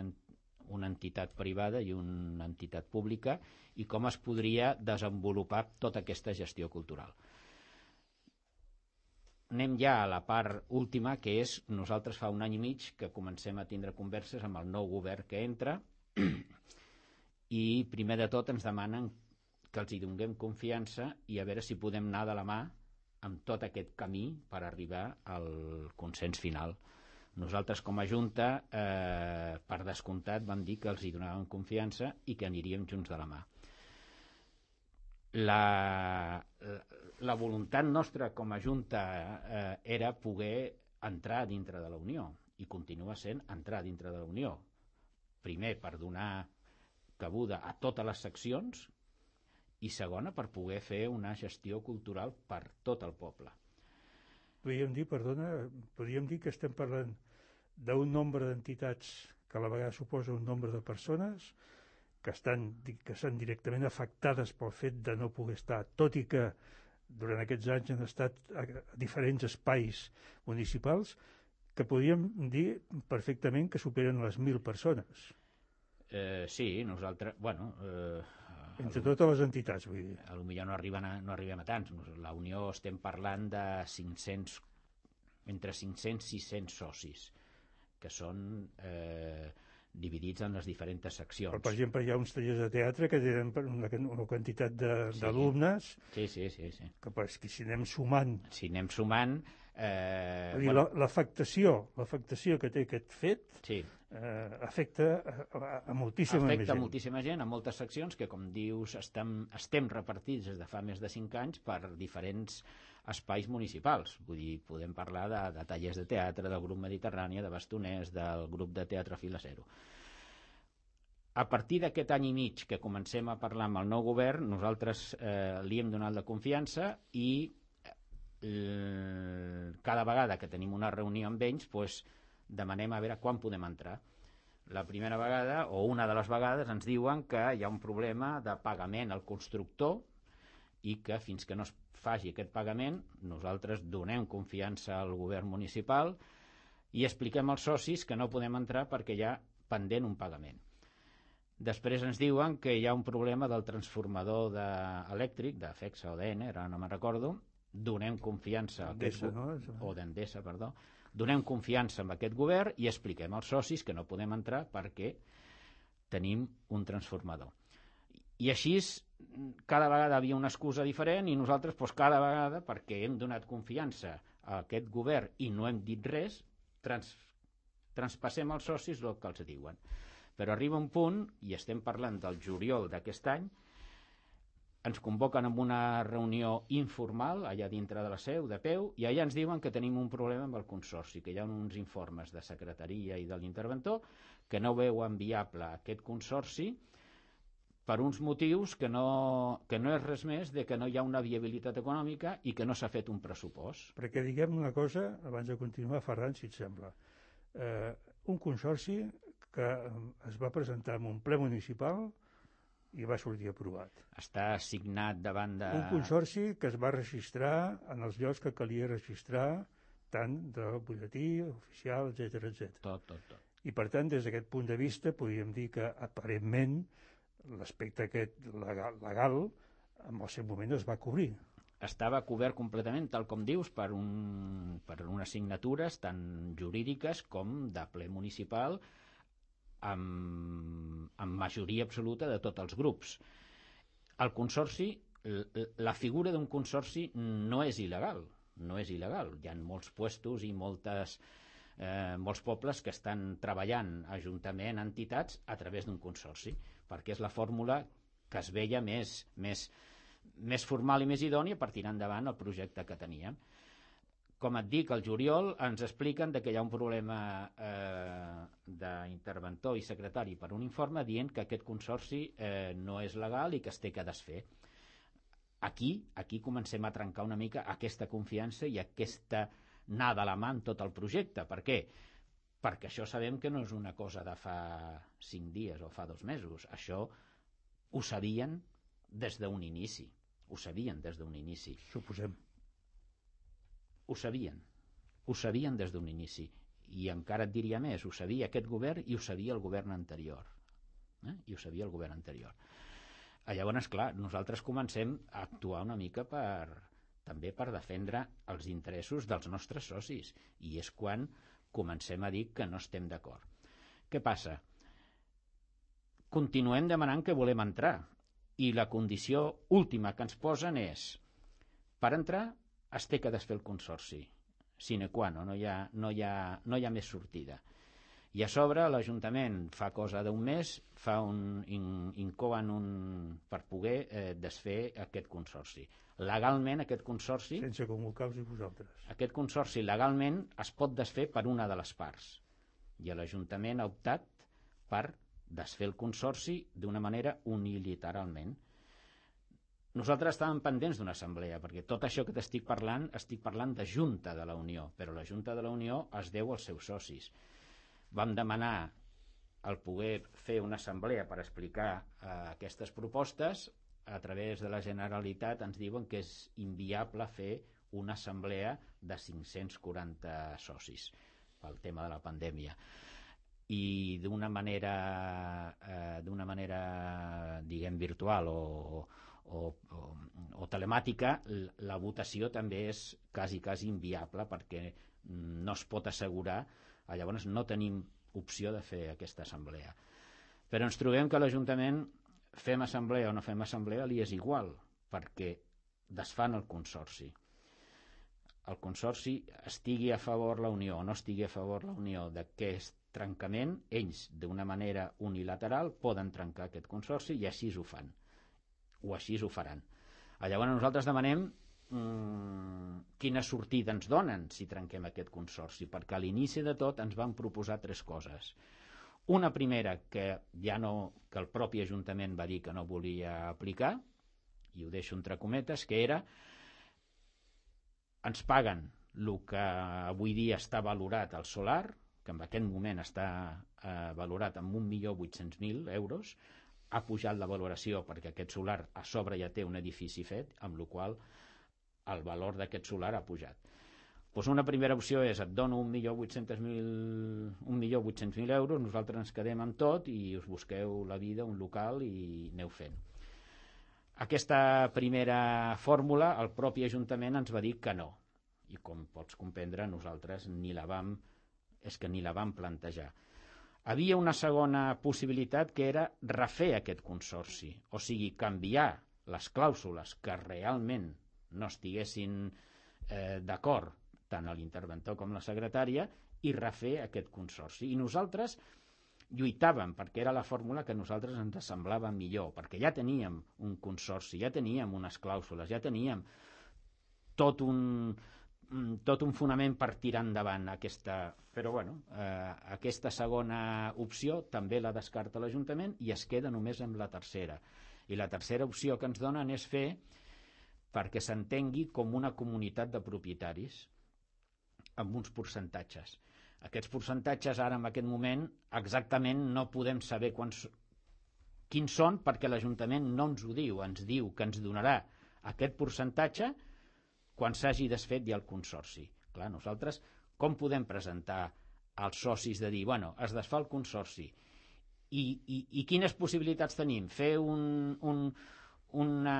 una entitat privada i una entitat pública, i com es podria desenvolupar tota aquesta gestió cultural. Anem ja a la part última, que és nosaltres fa un any i mig que comencem a tindre converses amb el nou govern que entra i primer de tot ens demanen que els hi donem confiança i a veure si podem anar de la mà amb tot aquest camí per arribar al consens final. Nosaltres com a Junta, eh, per descomptat, vam dir que els hi donàvem confiança i que aniríem junts de la mà. La, la, la voluntat nostra com a Junta eh, era poder entrar dintre de la Unió, i continua sent entrar dintre de la Unió. Primer, per donar cabuda a totes les seccions, i segona, per poder fer una gestió cultural per tot el poble.
Podríem dir, perdona, podríem dir que estem parlant d'un nombre d'entitats que a la vegada suposa un nombre de persones que estan, que estan directament afectades pel fet de no poder estar, tot i que durant aquests anys han estat a diferents espais municipals, que podríem dir perfectament que superen les mil persones.
Eh, sí, nosaltres, bueno... Eh,
Entre totes les entitats, vull dir.
A lo millor no arriben a, no arribem a tants. La Unió estem parlant de cinc-cents, entre cinc-cents i sis-cents socis, que són eh, dividits en les diferents seccions.
Però, per exemple, hi ha uns tallers de teatre que tenen una, una quantitat d'alumnes,
sí. Sí, sí, sí, sí.
Que, pues, que si anem sumant...
Si anem sumant, Eh,
dir,
bueno,
l'afectació, l'afectació que té aquest fet
sí.
eh, afecta a, a moltíssima
afecta
gent.
a moltíssima gent, a moltes seccions que, com dius, estem, estem repartits des de fa més de cinc anys per diferents espais municipals. Vull dir, podem parlar de, de tallers de teatre, del grup Mediterrània, de Bastoners, del grup de teatre Fila Zero. A partir d'aquest any i mig que comencem a parlar amb el nou govern, nosaltres eh, li hem donat la confiança i eh, cada vegada que tenim una reunió amb ells, pues, demanem a veure quan podem entrar. La primera vegada, o una de les vegades, ens diuen que hi ha un problema de pagament al constructor i que fins que no es faci aquest pagament nosaltres donem confiança al govern municipal i expliquem als socis que no podem entrar perquè hi ha pendent un pagament. Després ens diuen que hi ha un problema del transformador de, elèctric, de FEXA o d'E N E, ara no me'n recordo, donem confiança a aquest,
no?
o d'Endesa, perdó, donem confiança en aquest govern i expliquem als socis que no podem entrar perquè tenim un transformador. I així cada vegada havia una excusa diferent i nosaltres doncs, cada vegada, perquè hem donat confiança a aquest govern i no hem dit res, trans, transpassem als socis el que els diuen. Però arriba un punt, i estem parlant del juliol d'aquest any, ens convoquen amb una reunió informal allà dintre de la seu, de peu, i allà ens diuen que tenim un problema amb el consorci, que hi ha uns informes de secretaria i de l'interventor que no veuen viable aquest consorci per uns motius que no, que no és res més de que no hi ha una viabilitat econòmica i que no s'ha fet un pressupost.
Perquè diguem una cosa, abans de continuar, Ferran, si et sembla. Eh, un consorci que es va presentar en un ple municipal i va sortir aprovat.
Està assignat davant de...
Un consorci que es va registrar en els llocs que calia registrar, tant del butlletí, oficial, etcètera, etcètera.
Tot, tot, tot.
I per tant, des d'aquest punt de vista, podríem dir que aparentment l'aspecte aquest legal, legal en el seu moment es va cobrir.
Estava cobert completament, tal com dius, per, un, per unes signatures tant jurídiques com de ple municipal amb, amb majoria absoluta de tots els grups. El consorci, la figura d'un consorci no és il·legal, no és il·legal. Hi ha molts puestos i moltes, eh, molts pobles que estan treballant ajuntament, entitats, a través d'un consorci, perquè és la fórmula que es veia més, més, més formal i més idònia per tirar endavant el projecte que teníem. Com et dic, al juliol ens expliquen que hi ha un problema eh, d'interventor i secretari per un informe dient que aquest consorci eh, no és legal i que es té que desfer. Aquí, aquí comencem a trencar una mica aquesta confiança i aquesta anar de la mà en tot el projecte. Per què? Perquè això sabem que no és una cosa de fa cinc dies o fa dos mesos. Això ho sabien des d'un inici. Ho sabien des d'un inici.
Suposem.
Ho sabien. Ho sabien des d'un inici. I encara et diria més, ho sabia aquest govern i ho sabia el govern anterior. Eh? I ho sabia el govern anterior. Llavors, clar, nosaltres comencem a actuar una mica per, també per defendre els interessos dels nostres socis. I és quan comencem a dir que no estem d'acord. Què passa? Continuem demanant que volem entrar i la condició última que ens posen és per entrar es té que desfer el consorci sine qua non, no hi ha, no hi ha, no hi ha més sortida. I a sobre l'Ajuntament fa cosa d'un mes fa un, in, incoen un, per poder eh, desfer aquest consorci. Legalment aquest consorci
sense convocar-vos i vosaltres.
Aquest consorci legalment es pot desfer per una de les parts i l'Ajuntament ha optat per desfer el consorci d'una manera unilateralment. Nosaltres estàvem pendents d'una assemblea perquè tot això que t'estic parlant estic parlant de Junta de la Unió, però la Junta de la Unió es deu als seus socis. Vam demanar el poder fer una assemblea per explicar eh, aquestes propostes. A través de la Generalitat ens diuen que és inviable fer una assemblea de cinc-cents quaranta socis pel tema de la pandèmia. I d'una manera, eh, d'una manera diguem, virtual o, o, o, o telemàtica, la votació també és quasi, quasi inviable perquè no es pot assegurar. Llavors no tenim opció de fer aquesta assemblea. Però ens trobem que l'Ajuntament, fem assemblea o no fem assemblea, li és igual, perquè desfan el consorci. el Consorci estigui a favor la Unió o no estigui a favor la Unió d'aquest trencament, ells, d'una manera unilateral, poden trencar aquest Consorci i així ho fan, o així ho faran. Llavors nosaltres demanem mmm, quina sortida ens donen si trenquem aquest Consorci, perquè a l'inici de tot ens van proposar tres coses. Una primera, que ja no, que el propi Ajuntament va dir que no volia aplicar, i ho deixo entre cometes, que era ens paguen el que avui dia està valorat al solar, que en aquest moment està eh, valorat en un milió vuit-cents mil euros, ha pujat la valoració perquè aquest solar a sobre ja té un edifici fet, amb la qual cosa el valor d'aquest solar ha pujat. Doncs una primera opció és et dono un milió vuit-cents mil euros, nosaltres ens quedem amb tot i us busqueu la vida, un local i aneu fent. Aquesta primera fórmula el propi Ajuntament ens va dir que no, i com pots comprendre nosaltres ni la vam, és que ni la vam plantejar. Havia una segona possibilitat que era refer aquest consorci, o sigui, canviar les clàusules que realment no estiguessin eh, d'acord tant l'interventor com la secretària i refer aquest consorci. I nosaltres lluitàvem perquè era la fórmula que a nosaltres ens semblava millor, perquè ja teníem un consorci, ja teníem unes clàusules, ja teníem tot un, tot un fonament per tirar endavant aquesta... Però bueno, eh, aquesta segona opció també la descarta l'Ajuntament i es queda només amb la tercera. I la tercera opció que ens donen és fer perquè s'entengui com una comunitat de propietaris amb uns percentatges. Aquests percentatges ara en aquest moment exactament no podem saber quants, quins són perquè l'Ajuntament no ens ho diu, ens diu que ens donarà aquest percentatge quan s'hagi desfet ja el consorci. Clar, nosaltres com podem presentar als socis de dir, bueno, es desfà el consorci i, i, i quines possibilitats tenim? Fer un, un, una,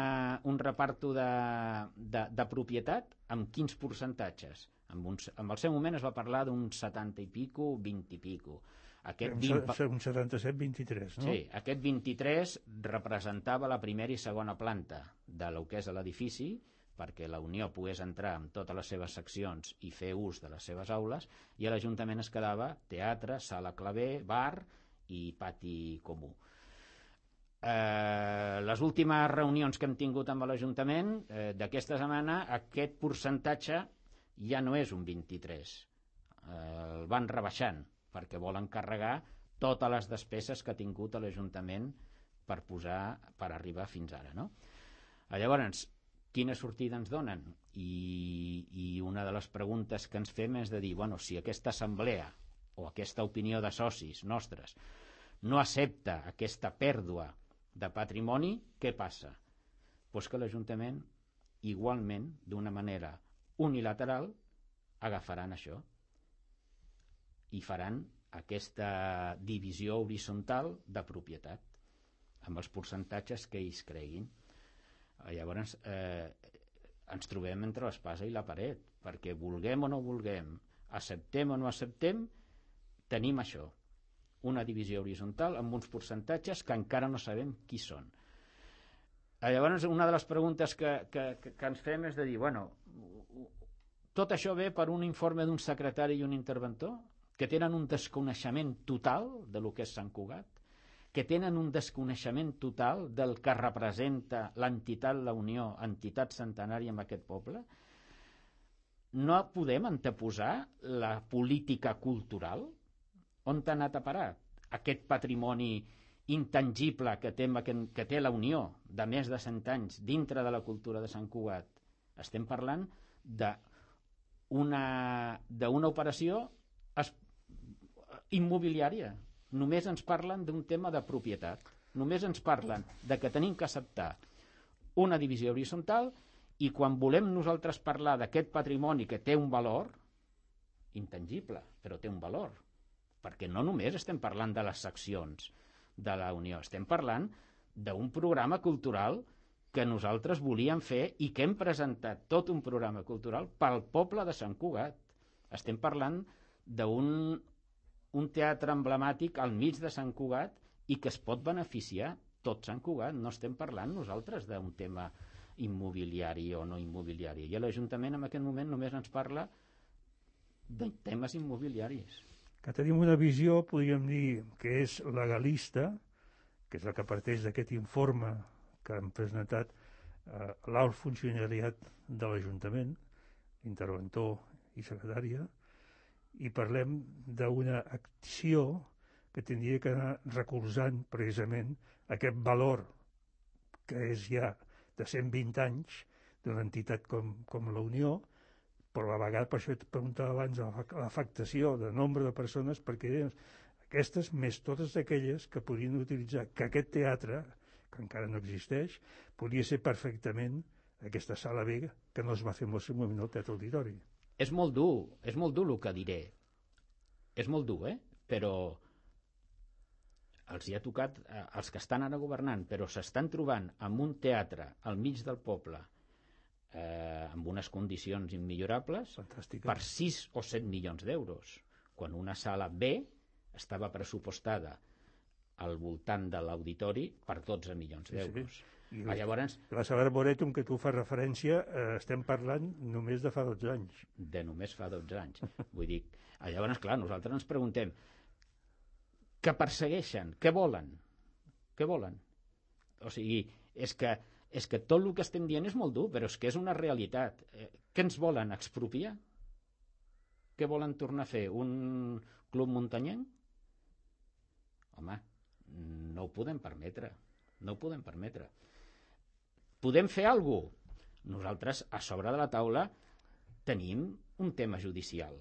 un reparto de, de, de propietat amb quins percentatges? En, un, en el seu moment es va parlar d'un setanta i pico, vint i pico. Aquest
vint... Un setanta-set vint-i-tres, no?
Sí, aquest vint-i-tres representava la primera i segona planta de lo que és l'edifici, perquè la Unió pogués entrar amb totes les seves seccions i fer ús de les seves aules, i a l'Ajuntament es quedava teatre, sala claver, bar i pati comú. Eh, les últimes reunions que hem tingut amb l'Ajuntament eh, d'aquesta setmana, aquest percentatge ja no és un vint-i-tres, eh, el van rebaixant perquè volen carregar totes les despeses que ha tingut l'Ajuntament per posar, per arribar fins ara, no? Llavors, quina sortida ens donen? I, i una de les preguntes que ens fem és de dir, bueno, si aquesta assemblea o aquesta opinió de socis nostres no accepta aquesta pèrdua de patrimoni, què passa? Pues que l'Ajuntament igualment, d'una manera unilateral, agafaran això i faran aquesta divisió horitzontal de propietat amb els percentatges que ells creguin. Llavors eh, ens trobem entre l'espasa i la paret, perquè vulguem o no vulguem, acceptem o no acceptem, tenim això, una divisió horitzontal amb uns percentatges que encara no sabem qui són. Llavors, una de les preguntes que, que, que ens fem és de dir, bueno, tot això ve per un informe d'un secretari i un interventor que tenen un desconeixement total de lo que és Sant Cugat, que tenen un desconeixement total del que representa l'entitat La Unió, entitat centenària en aquest poble. No podem anteposar la política cultural? On t'ha anat a parar aquest patrimoni intangible que té, que té la Unió de més de cent anys dintre de la cultura de Sant Cugat? Estem parlant d'una d'una operació immobiliària. Només ens parlen d'un tema de propietat. Només ens parlen de que tenim que acceptar una divisió horitzontal i quan volem nosaltres parlar d'aquest patrimoni que té un valor intangible, però té un valor, perquè no només estem parlant de les seccions de la Unió, estem parlant d'un programa cultural que nosaltres volíem fer i que hem presentat tot un programa cultural pel poble de Sant Cugat. Estem parlant d'un un teatre emblemàtic al mig de Sant Cugat i que es pot beneficiar tot Sant Cugat. No estem parlant nosaltres d'un tema immobiliari o no immobiliari. I l'Ajuntament en aquest moment només ens parla de temes immobiliaris.
Que tenim una visió, podríem dir, que és legalista, que és la que parteix d'aquest informe que han presentat eh, l'alt funcionariat de l'Ajuntament, interventor i secretària, i parlem d'una acció que tindria que anar recolzant precisament aquest valor que és ja de cent vint anys d'una entitat com, com la Unió, però a la vegada, per això et preguntava abans, l'afectació de nombre de persones, perquè aquestes, més totes aquelles que podrien utilitzar que aquest teatre, que encara no existeix, podria ser perfectament aquesta sala B que no es va fer en el seu moment al Teatre Auditori.
És molt dur, és molt dur el que diré. És molt dur, eh? Però els hi ha tocat, eh, els que estan ara governant, però s'estan trobant amb un teatre al mig del poble, eh, amb unes condicions immillorables,
fantàstica,
per sis o set milions d'euros, quan una sala B estava pressupostada al voltant de l'auditori per dotze milions d'euros.
Sí, sí. I ah, llavors, la sala Arboretum que tu fas referència, eh, estem parlant només de fa dotze anys.
De només fa dotze anys. Vull dir, llavors, clar, nosaltres ens preguntem què persegueixen, què volen? Què volen? O sigui, és que, és que tot el que estem dient és molt dur, però és que és una realitat. Eh, què ens volen? Expropiar? Què volen tornar a fer? Un club muntanyenc? Home, no ho podem permetre. No ho podem permetre. Podem fer alguna cosa? Nosaltres, a sobre de la taula, tenim un tema judicial.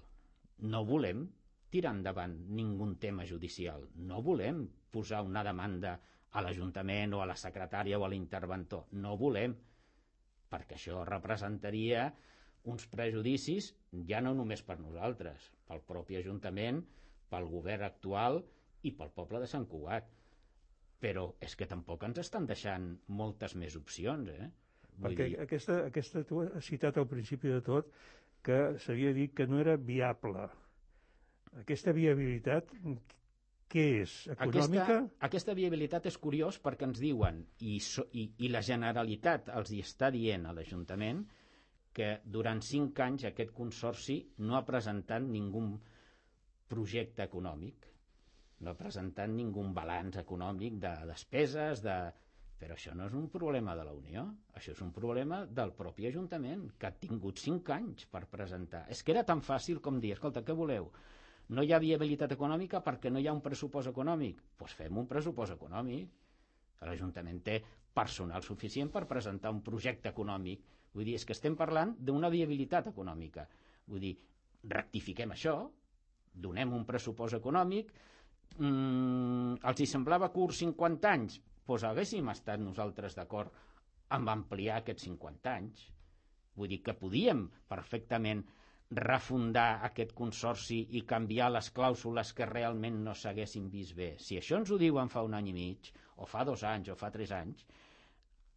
No volem tirar endavant ningú tema judicial. No volem posar una demanda a l'Ajuntament o a la secretària o a l'interventor. No volem, perquè això representaria uns prejudicis ja no només per nosaltres, pel propi Ajuntament, pel govern actual i pel poble de Sant Cugat. Però és que tampoc ens estan deixant moltes més opcions, eh? Vull
perquè
dir...
aquesta, aquesta tu has citat al principi de tot que s'havia dit que no era viable. Aquesta viabilitat, què és? Econòmica?
Aquesta, aquesta viabilitat és curiós perquè ens diuen, i, so, i, i la Generalitat els hi està dient a l'Ajuntament, que durant cinc anys aquest consorci no ha presentat ningú projecte econòmic, no ha presentat ningú balanç econòmic de despeses, de... però això no és un problema de la Unió, això és un problema del propi Ajuntament, que ha tingut cinc anys per presentar. És que era tan fàcil com dir, escolta, què voleu? No hi ha viabilitat econòmica perquè no hi ha un pressupost econòmic. Doncs pues fem un pressupost econòmic. L'Ajuntament té personal suficient per presentar un projecte econòmic. Vull dir, és que estem parlant d'una viabilitat econòmica. Vull dir, rectifiquem això, donem un pressupost econòmic. Mm, els hi semblava curt cinquanta anys? Doncs haguéssim estat nosaltres d'acord amb ampliar aquests cinquanta anys. Vull dir que podíem perfectament refundar aquest consorci i canviar les clàusules que realment no s'haguessin vist bé. Si això ens ho diuen fa un any i mig, o fa dos anys, o fa tres anys,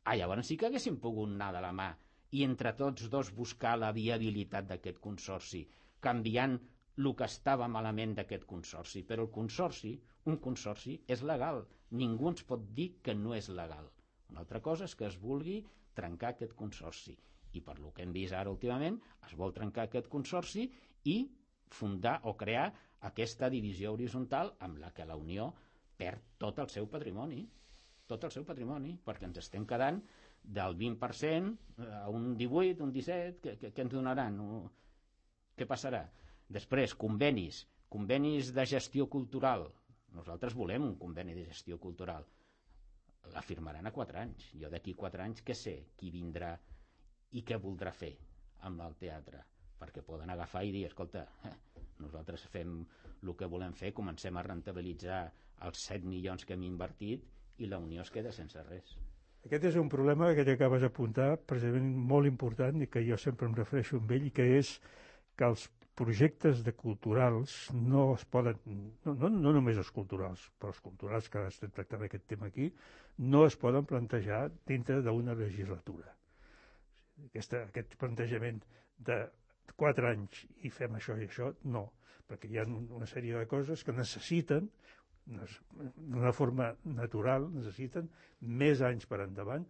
ah, llavors sí que haguéssim pogut anar de la mà i entre tots dos buscar la viabilitat d'aquest consorci, canviant el que estava malament d'aquest consorci. Però el consorci, un consorci, és legal. Ningú ens pot dir que no és legal. Una altra cosa és que es vulgui trencar aquest consorci. I per lo que hem vist ara últimament, es vol trencar aquest consorci i fundar o crear aquesta divisió horitzontal amb la que la Unió perd tot el seu patrimoni. Tot el seu patrimoni, perquè ens estem quedant del vint per cent a un divuit, un disset, què, què, què ens donaran? Què passarà? Després, convenis, convenis de gestió cultural. Nosaltres volem un conveni de gestió cultural. La firmaran a quatre anys. Jo d'aquí quatre anys què sé qui vindrà i què voldrà fer amb el teatre, perquè poden agafar i dir, escolta, eh, nosaltres fem el que volem fer, comencem a rentabilitzar els set milions que hem invertit i la Unió es queda sense res.
Aquest és un problema que t'acabes d'apuntar, precisament molt important, i que jo sempre em refereixo amb ell, i que és que els projectes de culturals no es poden, no, no, no només els culturals, però els culturals que estem tractant aquest tema aquí, no es poden plantejar dintre d'una legislatura. Aquesta, aquest plantejament de quatre anys i fem això i això, no, perquè hi ha una sèrie de coses que necessiten, d'una forma natural, necessiten més anys per endavant,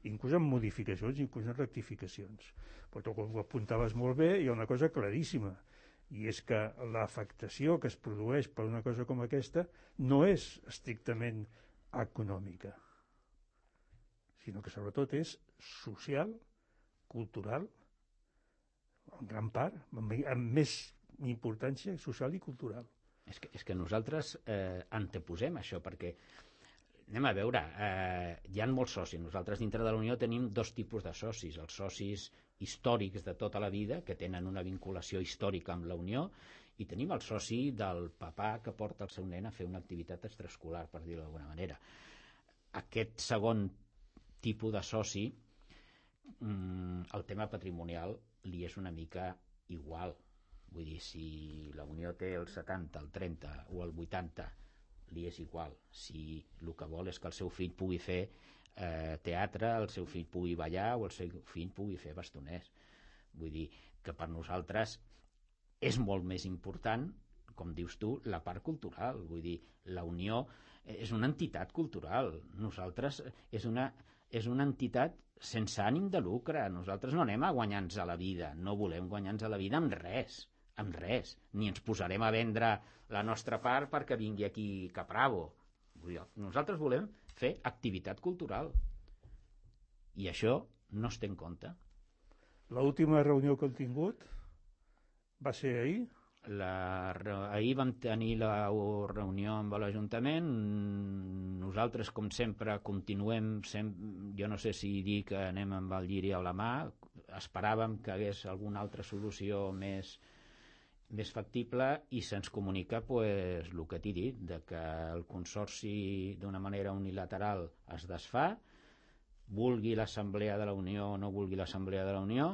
inclús amb modificacions, inclús amb rectificacions. Però tu, com ho apuntaves molt bé, hi ha una cosa claríssima, i és que l'afectació que es produeix per una cosa com aquesta no és estrictament econòmica, sinó que sobretot és social, cultural, en gran part, amb, amb més importància social i cultural.
És que, és que nosaltres eh, anteposem això, perquè anem a veure, eh, hi ha molts socis. Nosaltres dintre de la Unió tenim dos tipus de socis, els socis històrics de tota la vida, que tenen una vinculació històrica amb la Unió, i tenim el soci del papà que porta el seu nen a fer una activitat extraescolar, per dir-ho d'alguna manera. Aquest segon tipus de soci, mm, el tema patrimonial li és una mica igual. Vull dir, si la Unió té el setanta, el trenta o el vuitanta, li és igual. Si el que vol és que el seu fill pugui fer eh, teatre, el seu fill pugui ballar o el seu fill pugui fer bastoners. Vull dir que per nosaltres és molt més important, com dius tu, la part cultural. Vull dir, la Unió és una entitat cultural. Nosaltres és una, és una entitat sense ànim de lucre. Nosaltres no anem a guanyar-nos a la vida, no volem guanyar-nos a la vida amb res. amb res, ni ens posarem a vendre la nostra part perquè vingui aquí Capravo. Nosaltres volem fer activitat cultural i això no es té en compte.
L'última reunió que hem tingut va ser ahir?
La, ahir vam tenir la reunió amb l'Ajuntament. Nosaltres, com sempre, continuem, sem jo no sé si dir que anem amb el lliri a la mà, esperàvem que hagués alguna altra solució més més factible i se'ns comunica pues, el que t'he dit, de que el consorci d'una manera unilateral es desfà, vulgui l'Assemblea de la Unió o no vulgui l'Assemblea de la Unió,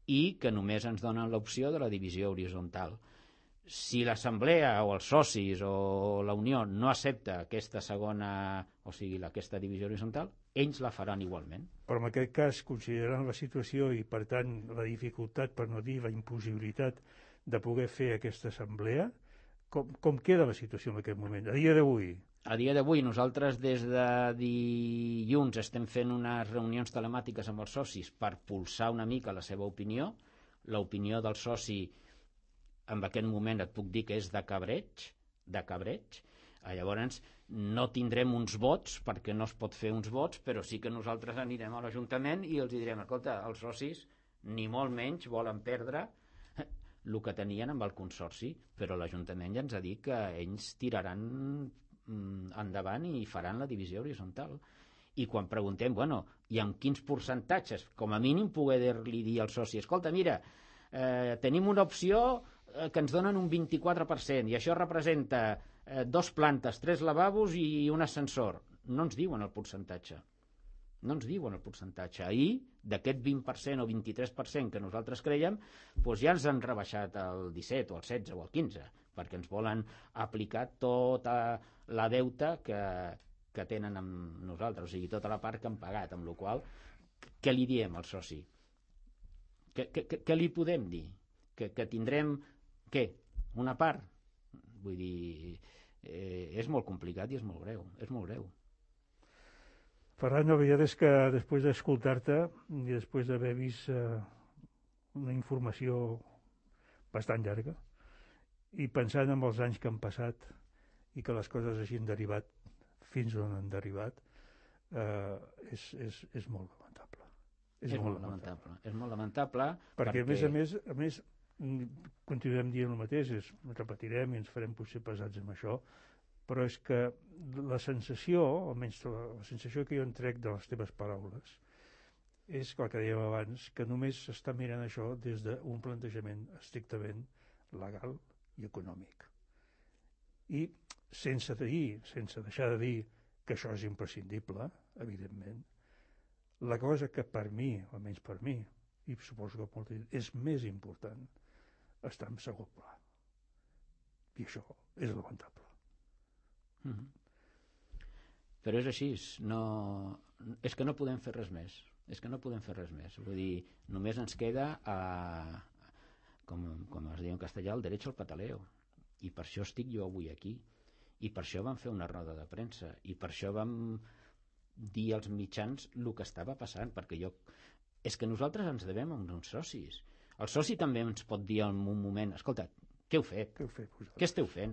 i que només ens donen l'opció de la divisió horitzontal. Si l'Assemblea o els socis o la Unió no accepta aquesta segona, o sigui, aquesta divisió horitzontal, ells la faran igualment.
Però en aquest cas, considerant la situació i, per tant, la dificultat, per no dir la impossibilitat de poder fer aquesta assemblea, com, com queda la situació en aquest moment, a dia d'avui?
A dia d'avui nosaltres des de dilluns estem fent unes reunions telemàtiques amb els socis per pulsar una mica la seva opinió. L'opinió del soci en aquest moment et puc dir que és de cabreig, de cabreig. Llavors no tindrem uns vots perquè no es pot fer uns vots, però sí que nosaltres anirem a l'Ajuntament i els direm, escolta, els socis ni molt menys volen perdre el que tenien amb el consorci, però l'Ajuntament ja ens ha dit que ells tiraran endavant i faran la divisió horitzontal. I quan preguntem, bueno, i amb quins percentatges, com a mínim poder-li dir al soci, escolta, mira, eh, tenim una opció eh, que ens donen un vint-i-quatre per cent i això representa eh, dos plantes, tres lavabos i un ascensor. No ens diuen el percentatge. No ens diuen el percentatge. Ahir, d'aquest vint per cent o vint-i-tres per cent que nosaltres creiem, doncs ja ens han rebaixat el disset o el setze o el quinze, perquè ens volen aplicar tota la deuta que, que tenen amb nosaltres, o sigui, tota la part que han pagat, amb la qual cosa, què li diem al soci? Què, què, què li podem dir? Que, que tindrem, què? Una part? Vull dir, eh, és molt complicat i és molt greu, és molt greu.
Ferran, la veritat és que després d'escoltar-te i després d'haver vist eh, una informació bastant llarga i pensant en els anys que han passat i que les coses hagin derivat fins on han derivat, eh, és, és, és molt lamentable.
És, és molt, molt lamentable. lamentable. És molt lamentable
perquè, perquè... a més a més, a més continuem dient el mateix, és, repetirem i ens farem potser pesats amb això, però és que la sensació, almenys la sensació que jo en trec de les teves paraules, és el que dèiem abans, que només s'està mirant això des d'un plantejament estrictament legal i econòmic. I sense dir, sense deixar de dir que això és imprescindible, evidentment, la cosa que per mi, almenys per mi, i suposo que molt és més important, està en segon pla. I això és lamentable.
Mm-hmm. Però és així, no... és que no podem fer res més, és que no podem fer res més, vull dir, només ens queda a... com, com es diu en castellà, el derecho al pataleo, i per això estic jo avui aquí, i per això vam fer una roda de premsa, i per això vam dir als mitjans el que estava passant, perquè jo... És que nosaltres ens devem a uns socis. El soci també ens pot dir en un moment, escolta, què heu fet?
Què heu fet?
Què esteu fent?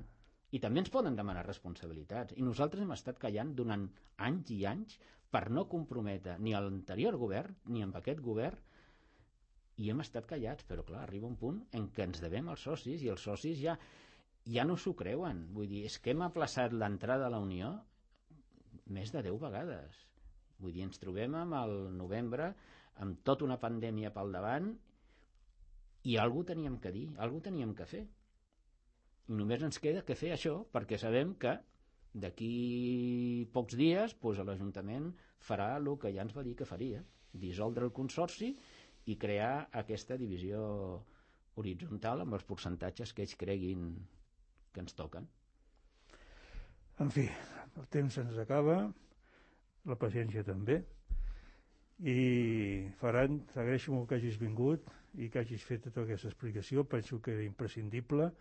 I també ens poden demanar responsabilitats. I nosaltres hem estat callant durant anys i anys per no comprometre ni a l'anterior govern ni amb aquest govern, i hem estat callats, però clar, arriba un punt en què ens devem als socis i els socis ja, ja no s'ho creuen. Vull dir, és que hem aplaçat l'entrada a la Unió més de deu vegades. Vull dir, ens trobem amb el novembre amb tota una pandèmia pel davant i alguna teníem que dir, alguna teníem que fer. I només ens queda que fer això, perquè sabem que d'aquí pocs dies doncs, l'Ajuntament farà el que ja ens va dir que faria, dissoldre el consorci i crear aquesta divisió horitzontal amb els percentatges que ells creguin que ens toquen.
En fi, el temps se'ns acaba, la paciència també, i Ferran, t'agraeixo molt que hagis vingut i que hagis fet tota aquesta explicació. Penso que era imprescindible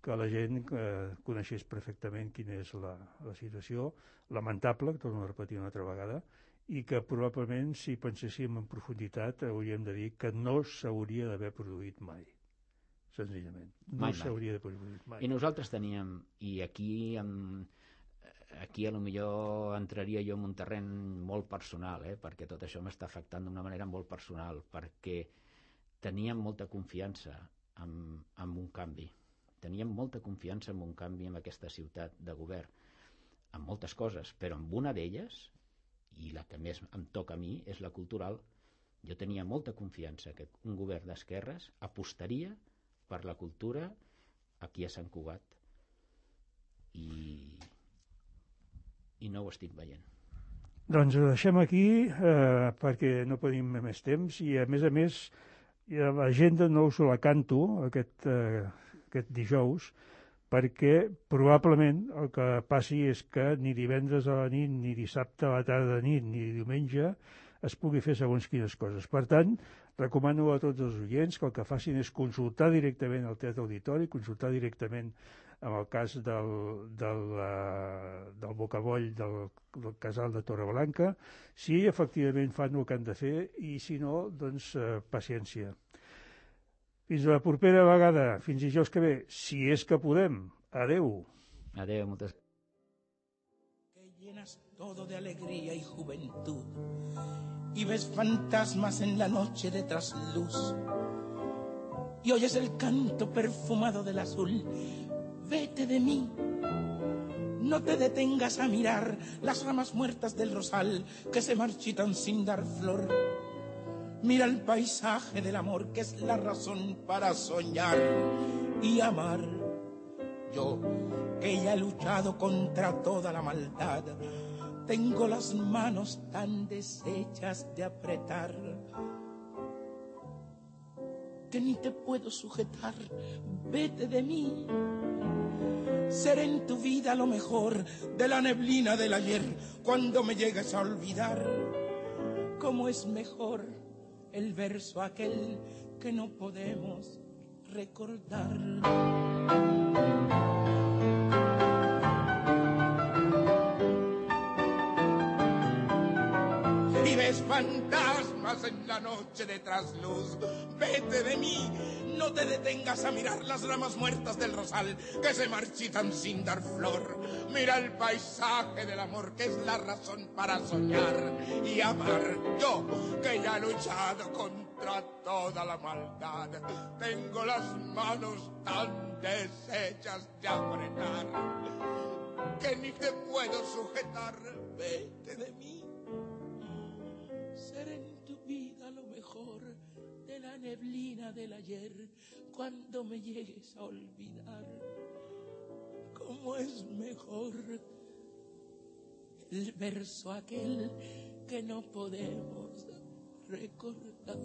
que la gent eh, coneixés perfectament quina és la, la situació lamentable, que torno a repetir una altra vegada, i que probablement si penséssim en profunditat hauríem de dir que no s'hauria d'haver produït mai, senzillament. No
mai,
s'hauria de produït mai.
I nosaltres teníem, i aquí amb aquí a lo millor entraria jo en un terreny molt personal, eh? Perquè tot això m'està afectant d'una manera molt personal, perquè teníem molta confiança en, en un canvi, teníem molta confiança en un canvi en aquesta ciutat de govern, en moltes coses, però en una d'elles, i la que més em toca a mi, és la cultural. Jo tenia molta confiança que un govern d'esquerres apostaria per la cultura aquí a Sant Cugat, i i no ho estic veient.
Doncs ho deixem aquí eh, perquè no tenim més temps i a més a més l'agenda no us la canto aquest, eh, aquest dijous perquè probablement el que passi és que ni divendres a la nit, ni dissabte a la tarda de nit, ni diumenge es pugui fer segons quines coses. Per tant, recomano a tots els oients que el que facin és consultar directament al Teatre Auditori, consultar directament en el cas del, del, uh, del bocaboll del, del casal de Torreblanca, si efectivament fan el que han de fer i si no, doncs uh, paciència. Fins a la propera vegada, fins dijous que ve, si és que podem. Adeu.
Adeu, moltes gràcies.
Que llenas todo de alegría y juventud y ves fantasmas en la noche de trasluz y oyes el canto perfumado del azul. Vete de mí, no te detengas a mirar las ramas muertas del rosal que se marchitan sin dar flor. Mira el paisaje del amor que es la razón para soñar y amar. Yo, que ya he luchado contra toda la maldad, tengo las manos tan deshechas de apretar que ni te puedo sujetar. Vete de mí. Seré en tu vida lo mejor de la neblina del ayer cuando me llegues a olvidar. Cómo es mejor el verso aquel que no podemos recordar. Y ves fantasmas en la noche de trasluz. Vete de mí, no te detengas a mirar las ramas muertas del rosal que se marchitan sin dar flor. Mira el paisaje del amor que es la razón para soñar y amar. Yo, que ya he luchado contra toda la maldad, tengo las manos tan deshechas de apretar que ni te puedo sujetar. Vete de mí. Seré en tu vida lo mejor de la neblina del ayer cuando me llegues a olvidar. Cómo es mejor el verso aquel que no podemos recordar.